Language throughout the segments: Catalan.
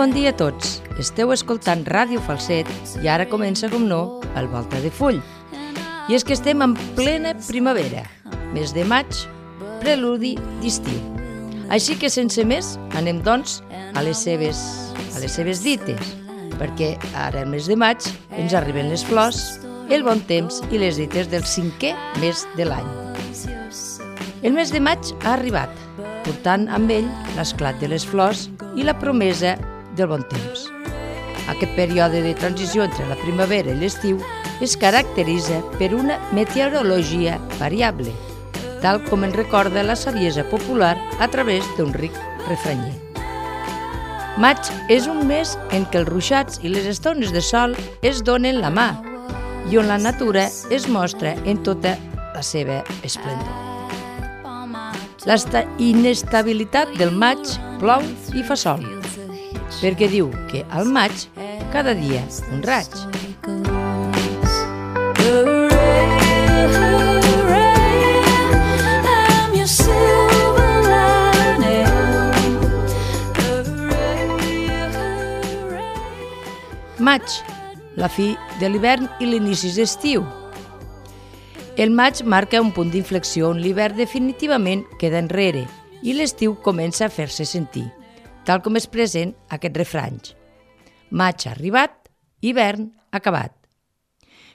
bon dia a tots. Esteu escoltant Ràdio Falset i ara comença, com no, el Volta de Full. I és que estem en plena primavera, mes de maig, preludi d'estiu. Així que sense més anem doncs a les seves dites, perquè ara el mes de maig ens arriben les flors, el bon temps i les dites del 5è mes de l'any. El mes de maig ha arribat, portant amb ell l'esclat de les flors i la promesa del bon temps. Aquest període de transició entre la primavera i l'estiu es caracteritza per una meteorologia variable, tal com ens recorda la saviesa popular a través d'un ric refranyer. Maig és un mes en què els ruixats i les estones de sol es donen la mà i on la natura es mostra en tota la seva esplendor. La inestabilitat del maig plou i fa sol, perquè diu que al maig cada dia un raig. Maig, la fi de l'hivern i l'inici d'estiu. El maig marca un punt d'inflexió on l'hivern definitivament queda enrere i l'estiu comença a fer-se sentir, tal com expressen aquests refranys. Maig arribat, hivern acabat.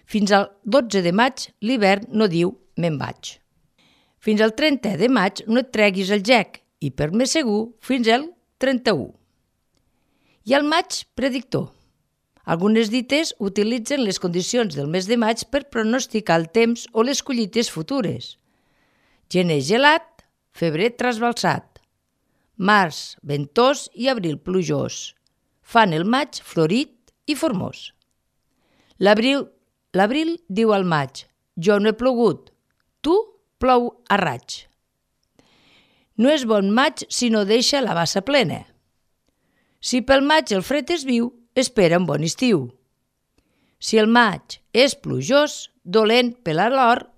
Fins al 12 de maig l'hivern no diu me'n vaig. Fins al 30 de maig no et treguis el gec i per més segur fins al 31. I al maig predictor. Algunes dites utilitzen les condicions del mes de maig per pronosticar el temps o les collites futures. Gener gelat, febrer trasbalsat. Març ventós i abril plujós. Fan el maig florit i formós. L'abril diu al maig, jo no he plogut, tu plou a raig. No és bon maig si no deixa la bassa plena. Si pel maig el fred és viu, espera un bon estiu. Si el maig és plujós, dolent per a l'hort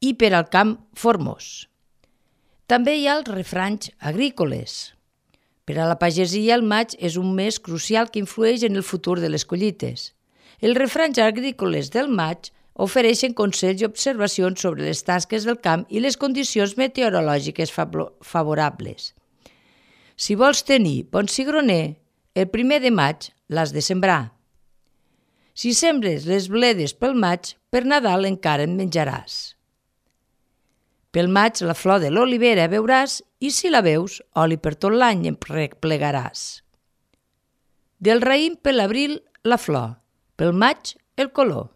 i per al camp formós. També hi ha els refranys agrícoles. Per a la pagesia el maig és un mes crucial que influeix en el futur de les collites. Els refranys agrícoles del maig ofereixen consells i observacions sobre les tasques del camp i les condicions meteorològiques favorables. Si vols tenir bon cigroner, el 1 de maig l'has de sembrar. Si sembres les bledes pel maig, per Nadal encara en menjaràs. Pel maig la flor de l'olivera veuràs i si la veus, oli per tot l'any en replegaràs. Del raïm per l'abril la flor, pel maig el color.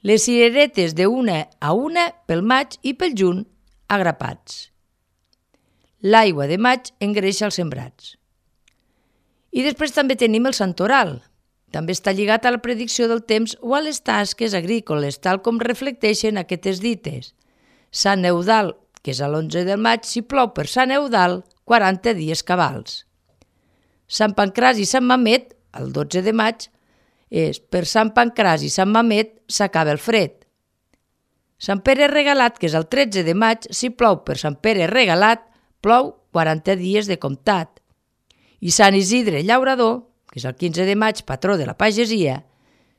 Les cireretes d'una a una pel maig i pel juny agrapats. L'aigua de maig engreixa els sembrats. I després també tenim el santoral. També està lligat a la predicció del temps o a les tasques agrícoles, tal com reflecteixen aquestes dites. Sant Eudald, que és a l'11 de maig, si plou per Sant Eudald, 40 dies cabals. Sant Pancràs i Sant Mamet, el 12 de maig, és per Sant Pancràs i Sant Mamet s'acaba el fred. Sant Pere Regalat, que és el 13 de maig, si plou per Sant Pere Regalat, plou 40 dies de comptat. I Sant Isidre Llaurador, que és el 15 de maig, patró de la pagesia,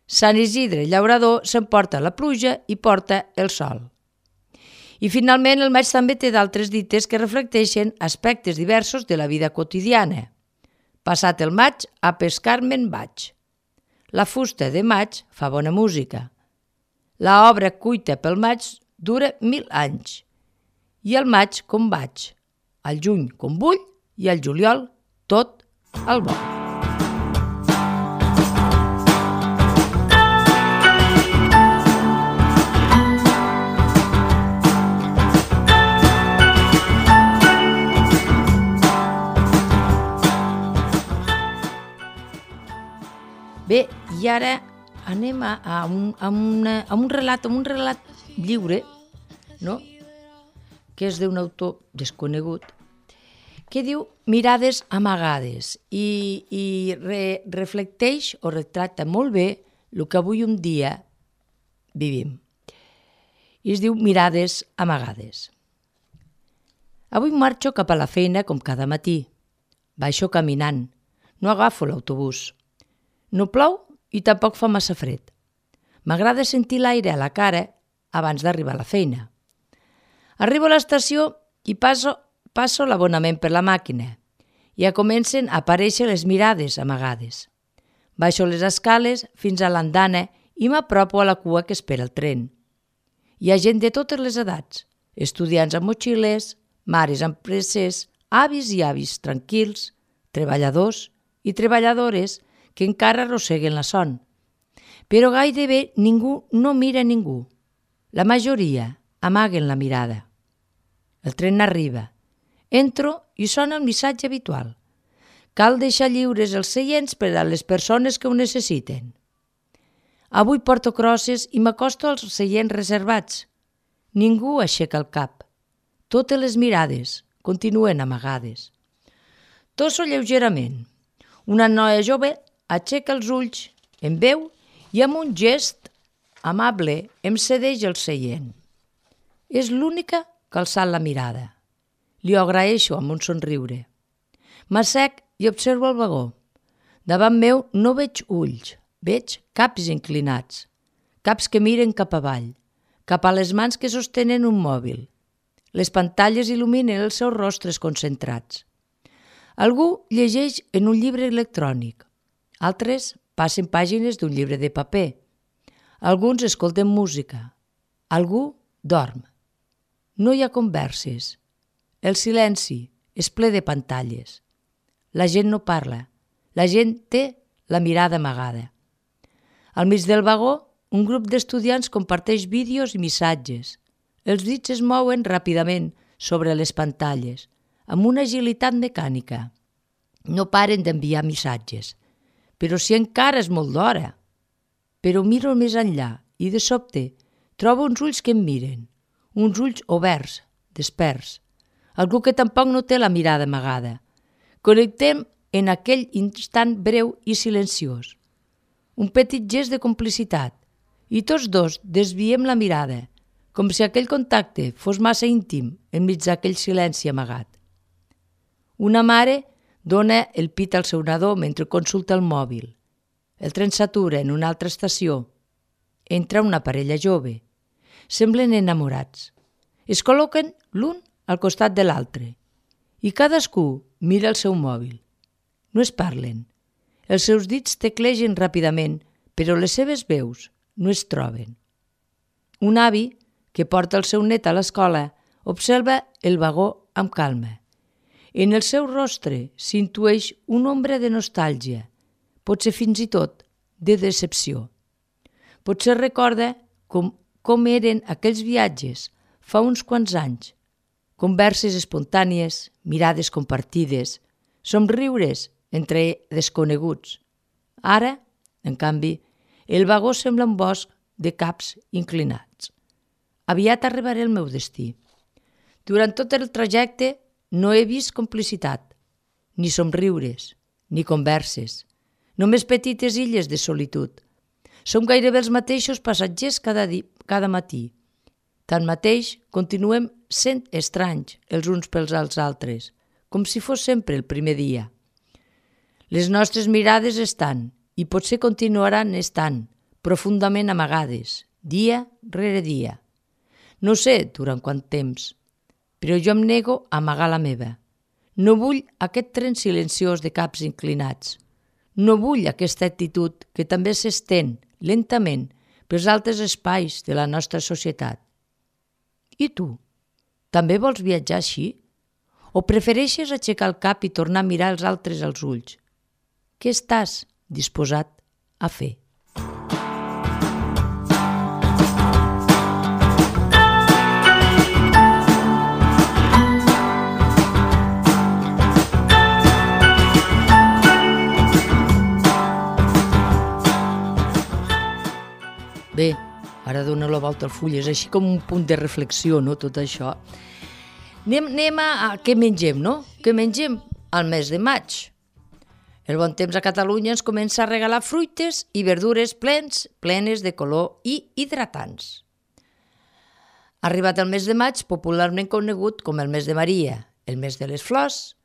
Sant Isidre Llaurador s'emporta la pluja i porta el sol. I finalment el maig també té d'altres dites que reflecteixen aspectes diversos de la vida quotidiana. Passat el maig, a pescar me'n vaig. La fusta de maig fa bona música. La obra cuita pel maig dura 1000 anys. I al maig com vaig, al juny com vull i al juliol tot el vol. Bé, i ara anem a un relat lliure, no? Que és d'un autor desconegut, que diu Mirades amagades i reflecteix o retrata molt bé el que avui un dia vivim. I es diu Mirades amagades. Avui marxo cap a la feina com cada matí. Baixo caminant. no agafo l'autobús. No plou i tampoc fa massa fred. M'agrada sentir l'aire a la cara abans d'arribar a la feina. Arribo a l'estació i passo l'abonament per la màquina. Ja comencen a aparèixer les mirades amagades. Baixo les escales fins a l'andana i m'apropo a la cua que espera el tren. Hi ha gent de totes les edats, estudiants amb motxilles, mares amb presses, avis i avis tranquils, treballadors i treballadores que encara arrosseguen la son. Però gairebé ningú no mira ningú. La majoria amaguen la mirada. El tren arriba. Entro i sona el missatge habitual. Cal deixar lliures els seients per a les persones que ho necessiten. Avui porto crosses i m'acosto als seients reservats. Ningú aixeca el cap. Totes les mirades continuen amagades. Tosso lleugerament. Una noia jove aixeca els ulls, em veu i amb un gest amable em cedeix el seient. És l'única que ha alçat la mirada. Li ho agraeixo amb un somriure. M'assec i observo el vagó. Davant meu no veig ulls, veig caps inclinats, caps que miren cap avall, cap a les mans que sostenen un mòbil. Les pantalles il·luminen els seus rostres concentrats. Algú llegeix en un llibre electrònic, altres passen pàgines d'un llibre de paper, alguns escolten música, algú dorm. No hi ha converses. El silenci és ple de pantalles. La gent no parla. La gent té la mirada amagada. Al mig del vagó, un grup d'estudiants comparteix vídeos i missatges. Els dits es mouen ràpidament sobre les pantalles, amb una agilitat mecànica. No paren d'enviar missatges. Però si encara és molt d'hora. Però miro més enllà i de sobte trobo uns ulls que em miren. Uns ulls oberts, desperts. Algú que tampoc no té la mirada amagada. Connectem en aquell instant breu i silenciós. Un petit gest de complicitat i tots dos desviem la mirada, com si aquell contacte fos massa íntim enmig d'aquell silenci amagat. Una mare dona el pit al seu nadó mentre consulta el mòbil. El tren s'atura en una altra estació. Entra una parella jove. Semblen enamorats. Es col·loquen l'un al costat de l'altre i cadascú mira el seu mòbil. No es parlen. Els seus dits teclegen ràpidament, però les seves veus no es troben. Un avi, que porta el seu net a l'escola, observa el vagó amb calma. En el seu rostre s'intueix una ombra de nostàlgia, potser fins i tot de decepció. Potser recorda com eren aquells viatges fa uns quants anys. Converses espontànies, mirades compartides, somriures entre desconeguts. Ara, en canvi, el vagó sembla un bosc de caps inclinats. Aviat arribaré al meu destí. Durant tot el trajecte no he vist complicitat, ni somriures, ni converses, només petites illes de solitud. Som gairebé els mateixos passatgers cada matí. Tanmateix, continuem sent estranys els uns pels altres, com si fos sempre el primer dia. Les nostres mirades estan, i potser continuaran estant, profundament amagades, dia rere dia. No sé durant quant temps, però jo em nego a amagar la meva. No vull aquest tren silenciós de caps inclinats. No vull aquesta actitud que també s'estén lentament pels altres espais de la nostra societat. I tu? També vols viatjar així? O prefereixes aixecar el cap i tornar a mirar els altres als ulls? Què estàs disposat a fer? Bé, ara dona la volta al full, és així com un punt de reflexió, no?, tot això. Anem a què mengem, no? Què mengem al mes de maig? El bon temps a Catalunya ens comença a regalar fruites i verdures plenes de color i hidratants. Arribat el mes de maig, popularment conegut com el mes de Maria, el mes de les flors,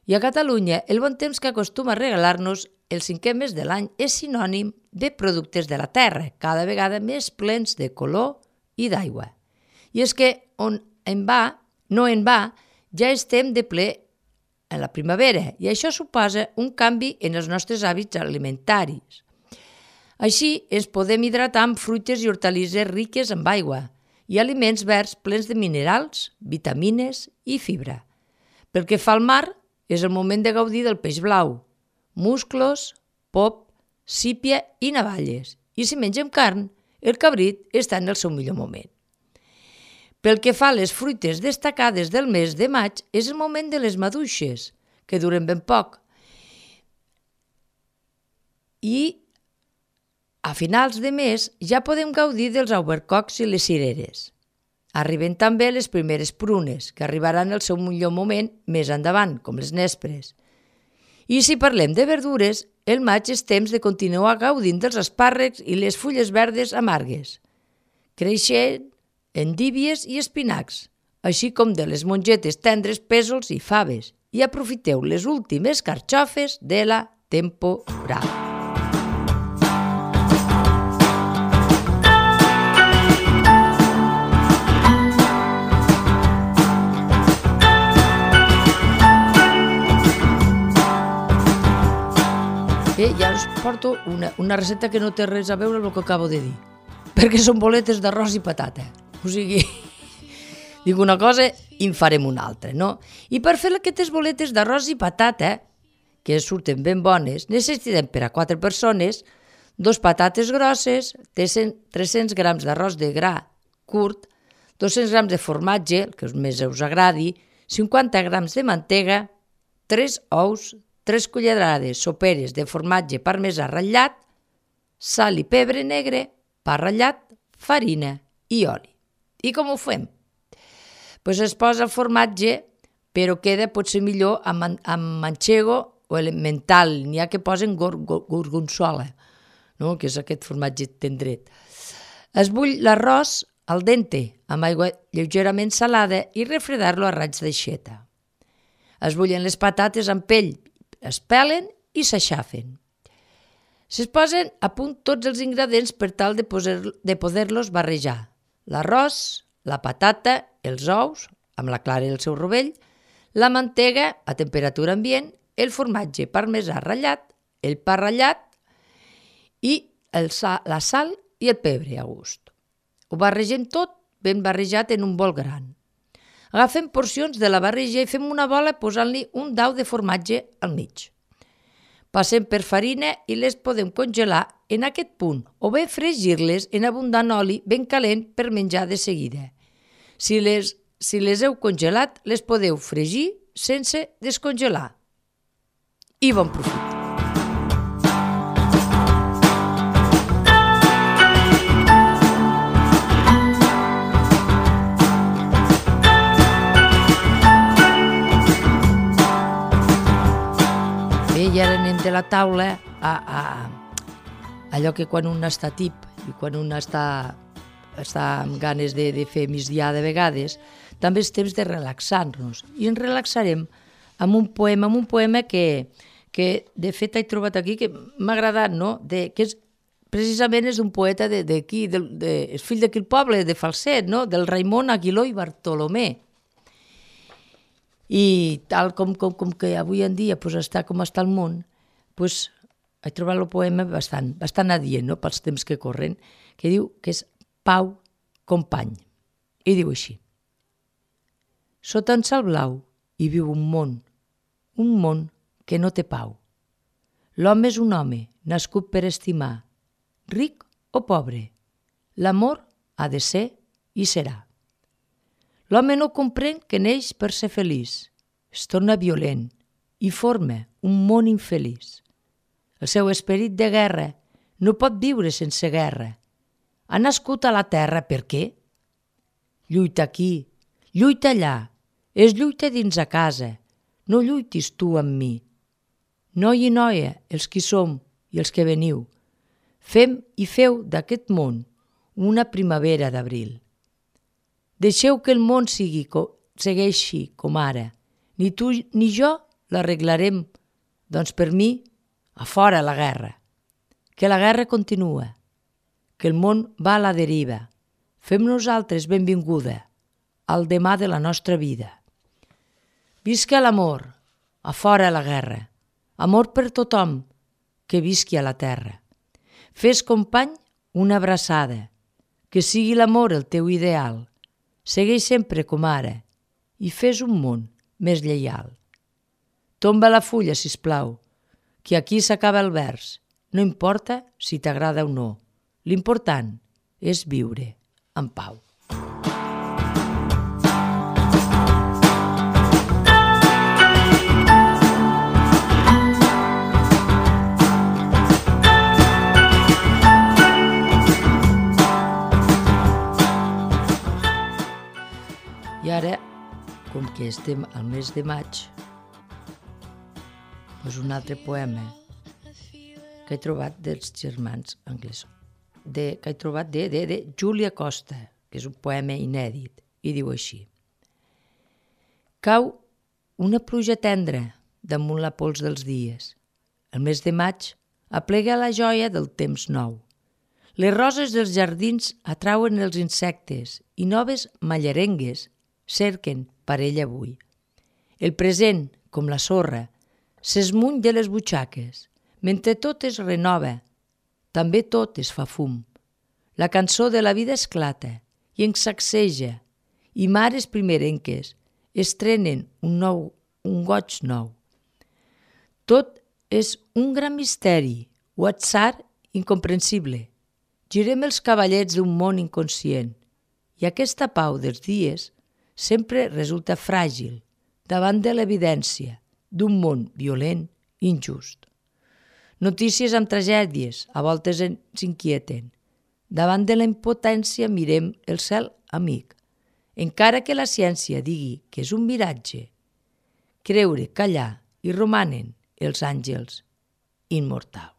I a Catalunya, el bon temps que acostuma a regalar-nos el 5è mes de l'any és sinònim de productes de la terra, cada vegada més plens de color i d'aigua. I és que no en va, ja estem de ple en la primavera i això suposa un canvi en els nostres hàbits alimentaris. Així ens podem hidratar amb fruites i hortalisses riques en aigua i aliments verds plens de minerals, vitamines i fibra. Pel que fa al mar, és el moment de gaudir del peix blau, musclos, pop, sípia i navalles. I si mengem carn, el cabrit està en el seu millor moment. Pel que fa a les fruites destacades del mes de maig, és el moment de les maduixes, que duren ben poc. I a finals de mes ja podem gaudir dels albercocs i les cireres. Arriben també les primeres prunes, que arribaran al seu millor moment més endavant, com les nespres. I si parlem de verdures, el maig és temps de continuar gaudint dels espàrrecs i les fulles verdes amargues, creixent endívies i espinacs, així com de les mongetes tendres, pèsols i faves, i aprofiteu les últimes carxofes de la temporada. Ja us porto una recepta que no té res a veure amb el que acabo de dir, perquè són boletes d'arròs i patata. O sigui, dic una cosa i en farem una altra, no? I per fer aquestes boletes d'arròs i patata, que surten ben bones, necessitem per a 4 persones 2 patates grosses, 300 grams d'arròs de gra curt, 200 grams de formatge, el que més us agradi, 50 grams de mantega, 3 ous, 3 cullerades soperes de formatge parmesà ratllat, sal i pebre negre, pa ratllat, farina i oli. I com ho fem? Pues es posa el formatge, però queda potser millor amb manchego o elemental. N'hi ha que posen gorgonzola, no? Que és aquest formatge tendret. Es bull l'arròs al dente, amb aigua lleugerament salada i refredar-lo a raig d'aixeta. Es bullen les patates amb pell, es pelen i s'aixafen. Es posen a punt tots els ingredients per tal de poder-los barrejar. L'arròs, la patata, els ous, amb la clara i el seu rovell, la mantega a temperatura ambient, el formatge parmesà ratllat, el pa ratllat i la sal i el pebre a gust. Ho barregem tot ben barrejat en un bol gran. Agafem porcions de la barreja i fem una bola posant-li un dau de formatge al mig. Passem per farina i les podem congelar en aquest punt o bé fregir-les en abundant oli ben calent per menjar de seguida. Si les heu congelat, les podeu fregir sense descongelar. I bon profit! I ara anem de la taula a allò que quan un està tip i quan un està amb ganes de fer migdiar de vegades, també és temps de relaxar-nos. I ens relaxarem amb un poema que de fet he trobat aquí, que m'ha agradat, no? Que precisament és un poeta d'aquí, és fill d'aquí el poble, de Falset, no? Del Raimon Aguiló i Bartolomé. I tal com que avui en dia està com està el món, he trobat el poema bastant adient, no? Pels temps que corren, que diu que és Pau company. I diu així: sota en cel blau hi viu un món que no té pau. L'home és un home nascut per estimar, ric o pobre. L'amor ha de ser i serà. L'home no comprèn que neix per ser feliç, es torna violent i forma un món infeliç. El seu esperit de guerra no pot viure sense guerra. Ha nascut a la terra per què? Lluita aquí, lluita allà, és lluita dins a casa, no lluitis tu amb mi. Noi i noia, els qui som i els que veniu, fem i feu d'aquest món una primavera d'abril. Deixeu que el món segueixi com ara. Ni tu ni jo l'arreglarem. Doncs per mi, a fora la guerra. Que la guerra continua, que el món va a la deriva. Fem nosaltres benvinguda al demà de la nostra vida. Visca l'amor, a fora la guerra. Amor per tothom, que visqui a la terra. Fes, company, una abraçada, que sigui l'amor el teu ideal. Segueix sempre com ara i fes un món més lleial. Tomba la fulla, sisplau, que aquí s'acaba el vers. No importa si t'agrada o no. L'important és viure en pau. I ara, com que estem al mes de maig, doncs un altre poema que he trobat dels germans anglesos, que he trobat de Júlia Costa, que és un poema inèdit, i diu així. Cau una pluja tendra damunt la pols dels dies. El mes de maig aplega la joia del temps nou. Les roses dels jardins atrauen els insectes i noves mallerengues cerquen parella avui. El present, com la sorra, s'esmuny de les butxaques, mentre tot es renova, també tot es fa fum. La cançó de la vida esclata i ens sacseja, i mares primerenques estrenen un goig nou. Tot és un gran misteri, o atzar incomprensible. Girem els cavallets d'un món inconscient, i aquesta pau dels dies sempre resulta fràgil davant de l'evidència d'un món violent i injust. Notícies amb tragèdies a voltes ens inquieten. Davant de la impotència mirem el cel amic. Encara que la ciència digui que és un miratge, creure, callar i romanen els àngels immortals.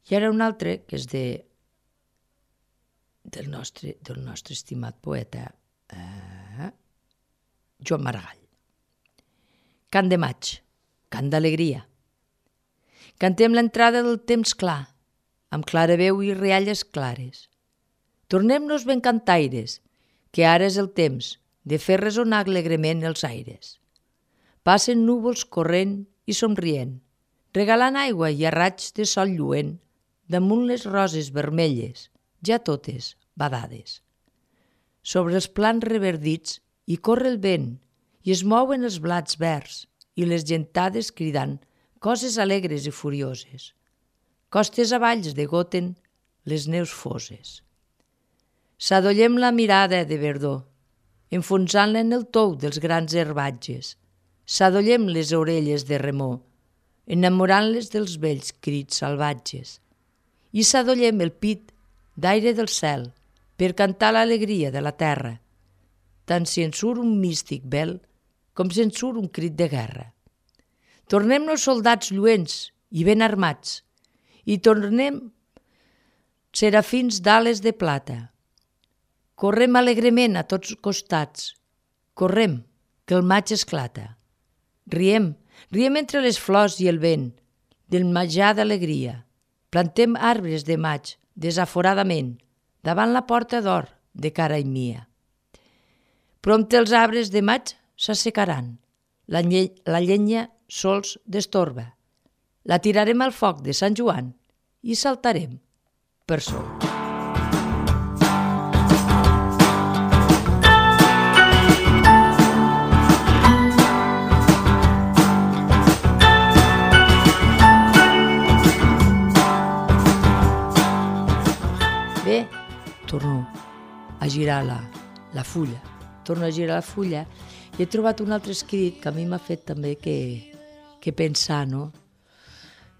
I ara un altre, que és del nostre estimat poeta Joan Maragall. Cant de maig, cant d'alegria. Cantem l'entrada del temps clar, amb clara veu i rialles clares. Tornem-nos ben cantaires, que ara és el temps de fer resonar alegrement els aires. Passen núvols corrent i somrient, regalant aigua i a raigs de sol lluent damunt les roses vermelles, ja totes badades. Sobre els plans reverdits hi corre el vent i es mouen els blats verds i les gentades cridant coses alegres i furioses. Costes avalls degoten les neus foses. S'adollem la mirada de verdor, enfonsant-la en el tou dels grans herbatges. S'adollem les orelles de remor, enamorant-les dels vells crits salvatges. I s'adollem el pit d'aire del cel per cantar l'alegria de la terra, tant si en surt un místic vel com si en surt un crit de guerra. Tornem-nos soldats lluents i ben armats, i tornem serafins d'ales de plata. Correm alegrement a tots costats, correm, que el maig esclata. Riem entre les flors i el vent, del menjar d'alegria. Plantem arbres de maig, desaforadament, davant la porta d'or de cara mia. Prompte els arbres de maig s'assecaran, la llenya sols destorba. La tirarem al foc de Sant Joan i saltarem per sol. Bé, torno a girar la fulla. Torno a girar la fulla i he trobat un altre escrit que a mi m'ha fet també que pensar, no?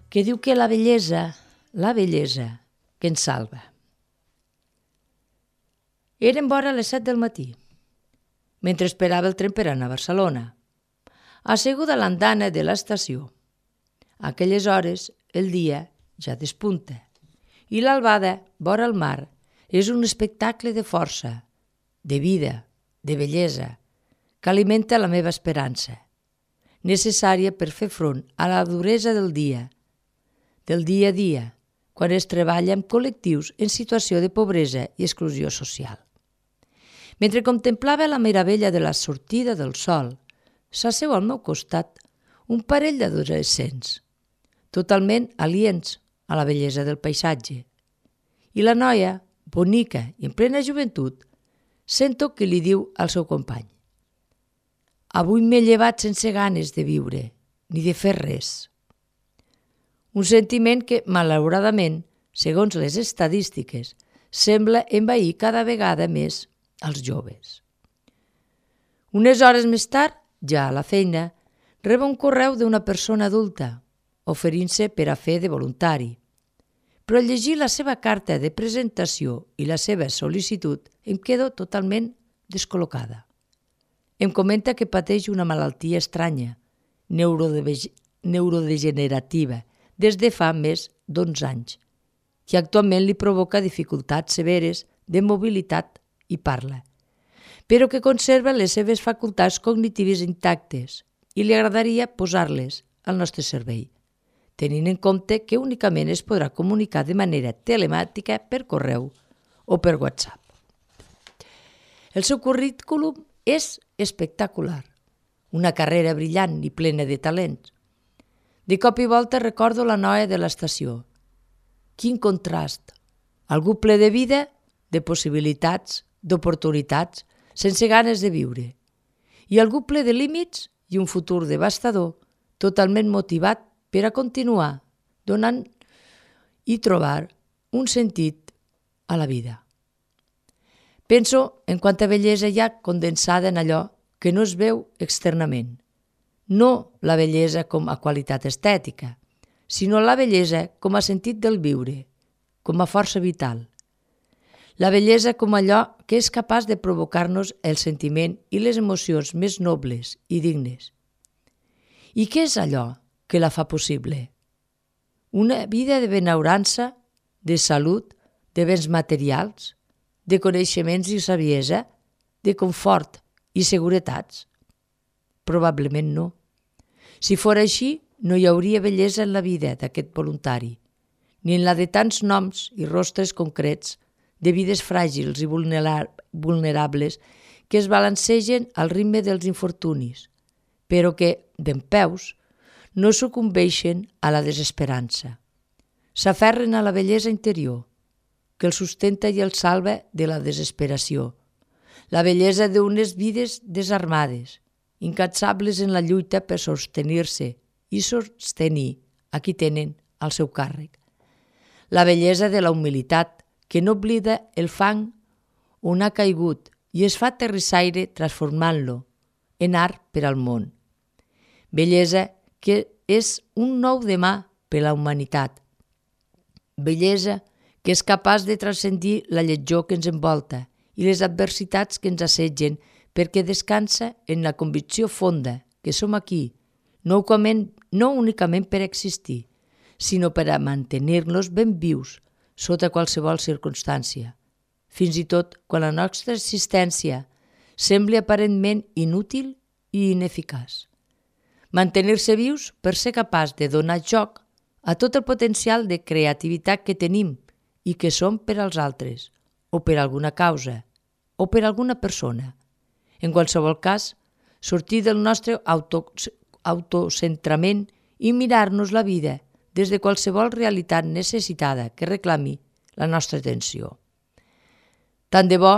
Que diu que la bellesa que ens salva. Eren vora les 7 del matí, mentre esperava el tren per anar a Barcelona, asseguda a l'andana de l'estació. A aquelles hores el dia ja despunta i l'albada vora el mar és un espectacle de força, de vida, de bellesa, que alimenta la meva esperança, necessària per fer front a la duresa del dia a dia, quan es treballa amb col·lectius en situació de pobresa i exclusió social. Mentre contemplava la meravella de la sortida del sol, s'asseu al meu costat un parell d'adolescents, totalment aliens a la bellesa del paisatge. I la noia, bonica i en plena joventut, sento que li diu al seu company: «Avui m'he llevat sense ganes de viure, ni de fer res». Un sentiment que, malauradament, segons les estadístiques, sembla envair cada vegada més als joves. Unes hores més tard, ja a la feina, rebo un correu d'una persona adulta, oferint-se per a fer de voluntari. Però al llegir la seva carta de presentació i la seva sol·licitud em quedo totalment descol·locada. Em comenta que pateix una malaltia estranya, neurodegenerativa, des de fa més d'11 anys, que actualment li provoca dificultats severes de mobilitat i parla, però que conserva les seves facultats cognitives intactes i li agradaria posar-les al nostre servei, tenint en compte que únicament es podrà comunicar de manera telemàtica per correu o per WhatsApp. El seu currículum és espectacular, una carrera brillant i plena de talents. De cop i volta recordo la noia de l'estació. Quin contrast! Algú ple de vida, de possibilitats, d'oportunitats, sense ganes de viure. I algú ple de límits i un futur devastador, totalment motivat per a continuar donant i trobar un sentit a la vida. Penso en quanta bellesa hi ha condensada en allò que no es veu externament. No la bellesa com a qualitat estètica, sinó la bellesa com a sentit del viure, com a força vital. La bellesa com allò que és capaç de provocar-nos el sentiment i les emocions més nobles i dignes. I què és allò que la fa possible? Una vida de benaurança, de salut, de béns materials, de coneixements i saviesa, de confort i seguretats? Probablement no. Si fos així, no hi hauria bellesa en la vida d'aquest voluntari, ni en la de tants noms i rostres concrets de vides fràgils i vulnerables que es balancegen al ritme dels infortunis, però que, dempeus, no sucumbeixen a la desesperança. S'aferren a la bellesa interior, que el sustenta i el salva de la desesperació, la bellesa d'unes vides desarmades, incansables en la lluita per sostenir-se i sostenir a qui tenen al seu càrrec. La bellesa de la humilitat, que no oblida el fang on ha caigut i es fa terrissaire transformant-lo en art per al món. Bellesa que és un nou demà per a la humanitat. Bellesa que és capaç de transcendir la lletjor que ens envolta i les adversitats que ens assetgen, perquè descansa en la convicció fonda que som aquí, no únicament per existir, sinó per a mantenir-nos ben vius sota qualsevol circumstància, fins i tot quan la nostra existència sembli aparentment inútil i ineficaç. Mantenir-se vius per ser capaç de donar joc a tot el potencial de creativitat que tenim i que som per als altres, o per alguna causa, o per alguna persona. En qualsevol cas, sortir del nostre autocentrament i mirar-nos la vida des de qualsevol realitat necessitada que reclami la nostra atenció. Tant de bo,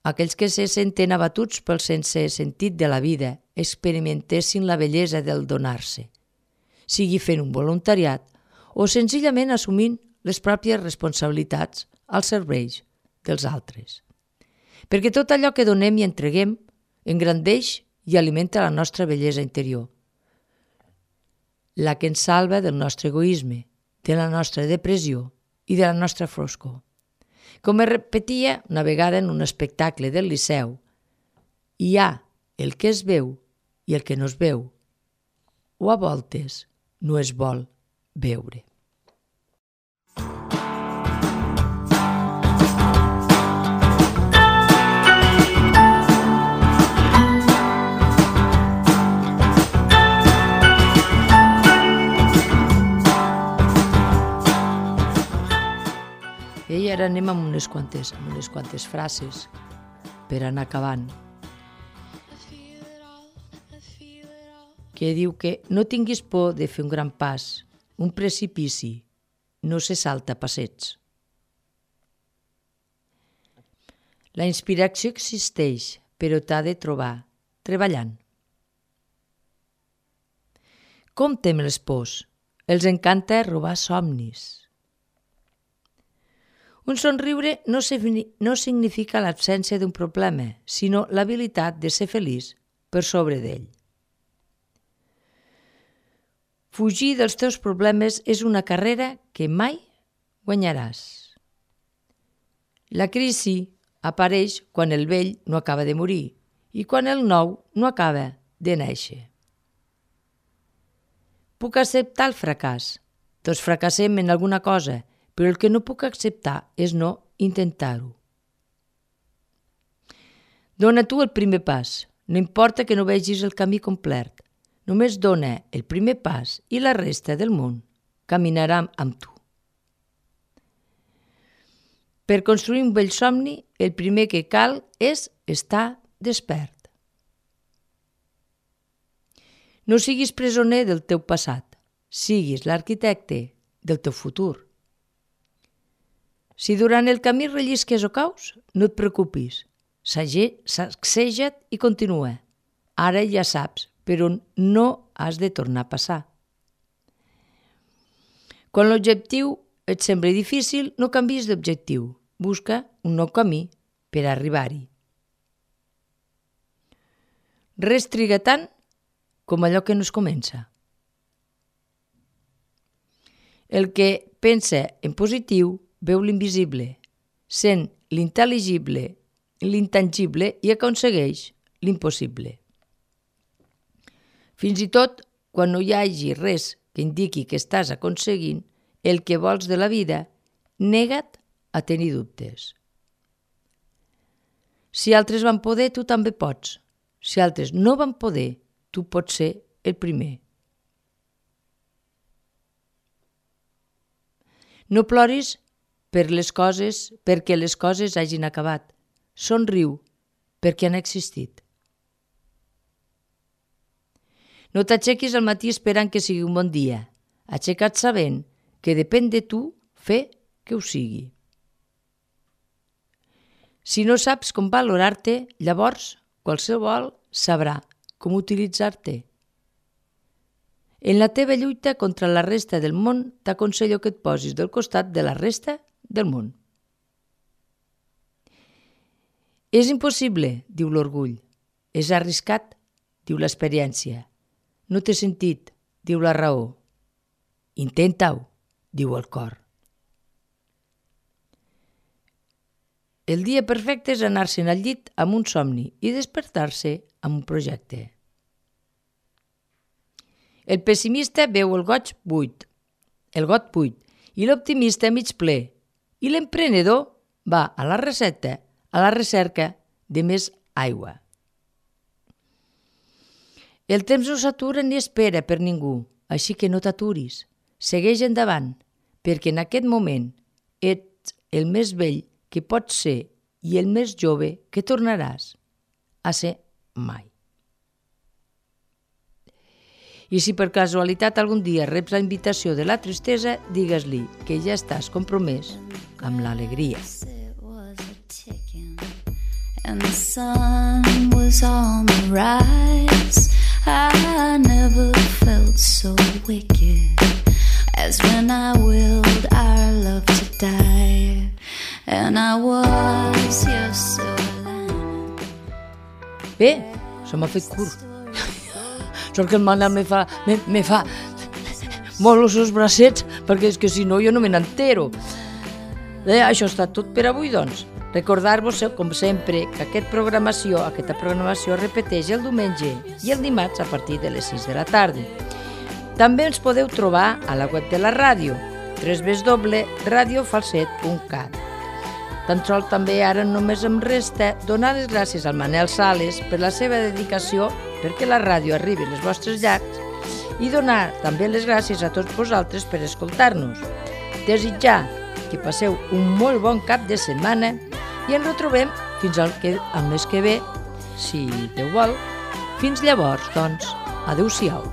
aquells que se senten abatuts pel sense sentit de la vida experimentessin la bellesa del donar-se, sigui fent un voluntariat o senzillament assumint les pròpies responsabilitats als serveis dels altres. Perquè tot allò que donem i entreguem engrandeix i alimenta la nostra bellesa interior, la que ens salva del nostre egoisme, de la nostra depressió i de la nostra foscor. Com es repetia una vegada en un espectacle del Liceu, hi ha el que es veu i el que no es veu, o a voltes no es vol veure. ara anem amb unes quantes frases per anar acabant. Que diu que no tinguis por de fer un gran pas, un precipici, no se salta passets. La inspiració existeix, però t'ha de trobar, treballant. Compte amb les pors, els encanta robar somnis. Un somriure no significa l'absència d'un problema, sinó l'habilitat de ser feliç per sobre d'ell. Fugir dels teus problemes és una carrera que mai guanyaràs. La crisi apareix quan el vell no acaba de morir i quan el nou no acaba de néixer. Puc acceptar el fracàs. Tots fracassem en alguna cosa, però el que no puc acceptar és no intentar-ho. Dóna tu el primer pas. No importa que no vegis el camí complet. Només dona el primer pas i la resta del món caminarà amb tu. Per construir un bell somni, el primer que cal és estar despert. No siguis presoner del teu passat, siguis l'arquitecte del teu futur. Si durant el camí rellisques o caus, no et preocupis, sacseja't i continua. Ara ja saps per on no has de tornar a passar. Quan l'objectiu et sembla difícil, no canviïs d'objectiu. Busca un nou camí per arribar-hi. Res triga tant com allò que no es comença. El que pensa en positiu veu l'invisible, sent l'intel·ligible, l'intangible i aconsegueix l'impossible. Fins i tot, quan no hi hagi res que indiqui que estàs aconseguint el que vols de la vida, nega't a tenir dubtes. Si altres van poder, tu també pots. Si altres no van poder, tu pots ser el primer. No ploris perquè les coses hagin acabat. Somriu perquè han existit. No t'aixequis al matí esperant que sigui un bon dia. Aixeca't sabent que depèn de tu fer que ho sigui. Si no saps com valorar-te, llavors qualsevol sabrà com utilitzar-te. En la teva lluita contra la resta del món, t'aconsello que et posis del costat de la resta del món. És impossible, diu l'orgull. És arriscat, diu l'experiència. No té sentit, diu la raó. Intenta-ho, diu el cor. El dia perfecte és anar-se'n al llit amb un somni i despertar-se amb un projecte. El pessimista veu el got buit i l'optimista mig ple, i l'emprenedor va a la recerca de més aigua. El temps no s'atura ni espera per ningú, així que no t'aturis. Segueix endavant, perquè en aquest moment ets el més vell que pots ser i el més jove que tornaràs a ser mai. I si per casualitat algun dia reps la invitació de la tristesa, digues-li que ja estàs compromès amb l'alegria. And the sun was on the rise. I never felt so wicked as when I willed our love to die. And I was your silver lining. Bé, se m'ha fet curt. Sort que el Manel me fa molt els seus bracets, perquè és que si no jo no me n'entero. Això està tot per avui, doncs. Recordar-vos, com sempre, que aquesta programació es repeteix el diumenge i el dimarts a partir de les 6 de la tarda. També ens podeu trobar a la web de la ràdio, www.radiofalset.cat. Tan sols també ara només em resta donar les gràcies al Manel Sales per la seva dedicació perquè la ràdio arribi als vostres llars i donar també les gràcies a tots vosaltres per escoltar-nos. Desitjar que passeu un molt bon cap de setmana i ens retrobem fins al mes que ve, si Déu vol. Fins llavors, doncs, adeu-siau.